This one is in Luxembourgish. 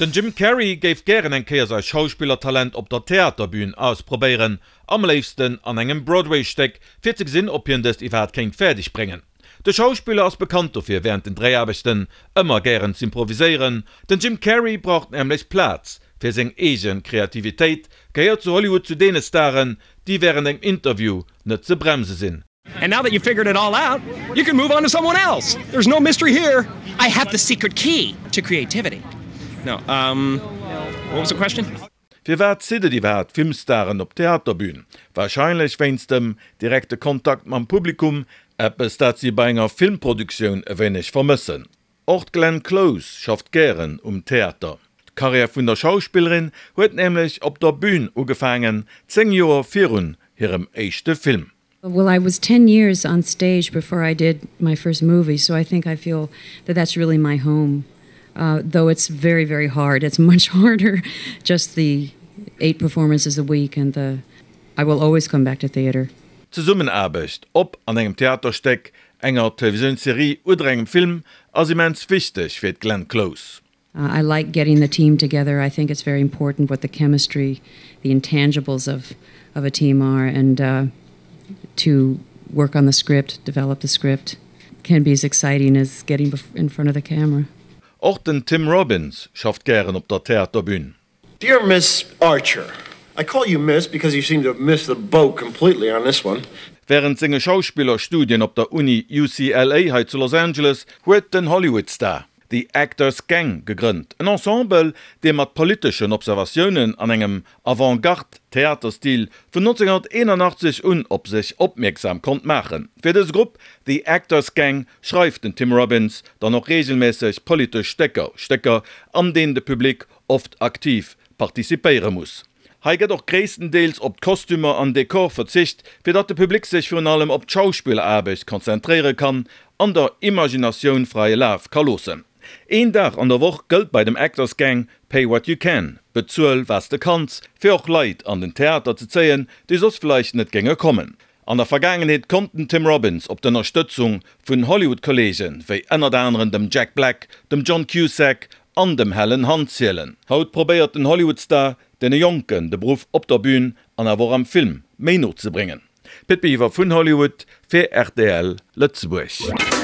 Den Jim Carrey géif gären eng Kéier säi Schauspillertalent op der Theaterbün ausprobéieren, am léifsten an engem Broadway-Stéck, fir ze gesinn, ob hien dëst iwwerhaapt kéint fäerdeg bréngen. De Schauspiller ass bekannt dofir, wärend den Dréiaarbechten ëmmer gären z'improviséieren. Den Jim Carrey braucht nämlech Plaz fir seng eege Kreativitéit, gehéiert zu Hollywood zu deene Staren, déi wärend engem Interview net ze bremse sinn. And now that you've figured it all out, you can move on to someone else. There's no mystery here. I have the secret key to creativity. No, um, what was the question? Firwat zitt et iwwerhaapt Filmstaren op d'Theaterbün? Warscheinlech wéinst dem direkte Kontakt mam Publikum, eppes dat si bei enger Filmproduktioun e wéineg vermëssen. Och d'Glenn Close schafft gären um Theater. D'Karriär vun der Schauspillerin huet nämlech op der Bün ugefaangen, 10 Joer virun hirem éischte Film. Well I was 10 years on stage before I did my first movie, so I think I feel that that's really my home. Uh, though it's very, very hard. It's much harder just the eight performances a week and the I will always come back to theater. Zesummenaarbecht, ob an engem Theaterstéck, enger Televisiounsserie oder engem Film, ass immens wichteg fir d'Glenn Close. Uh, I like getting the team together. I think it's very important what the chemistry, the intangibles of, of a team are and uh, to work on the script, develop the script can be as exciting as getting in front of the camera. Och den Tim Robbins schafft gären op der Theaterbün. Dear Miss Archer, I call you Miss because you seem to have missed the boat completely on this one. Wärend senge Schauspillerstudien op der Uni UCLA hei zu Los Angeles huet den Hollywood-Star The Actors Gang gegrënnt, en Ensemble, dee mat politeschen Observatiounen an engem Avant-Garde-Theaterstil vun 1981 un op sech opmierksam konnt maachen. Fir dëse Grupp, The Actors Gang, schreift den Tim Robbins dann och reegelméisseg politesch Stécker, Stécker, an deenen de Public oft aktiv participéiere muss. Hei gëtt och gréisstendeels op d'Kostümer an Dekor verzicht, fir datt de Public sech virun allem op d'Schauspilleraarbecht konzentréiere kann an der Imaginatioun fraie Laf ka loossen. Een Dag an der Woch gëllt bei dem Actors Gang Pay what you can, bezuel wat s de kanns, fir och Leit an den Theater ze zéien, déi soss vläicht net géinge kommen. An der Vergaangenheet konnt den Tim Robbins op d'Ënnerstëtzung vun Hollywood-Kolleege wéi ënnert aneren dem Jack Black, dem John Cusack an dem Helen Hunt zielen. Haut probéiert den Hollywood-Star deene Jonken de Beruff op der Bün an awer och am Film méi no ze bréngen. Pit Biwer vun Hollywood fir rtl Lëtzebuerg.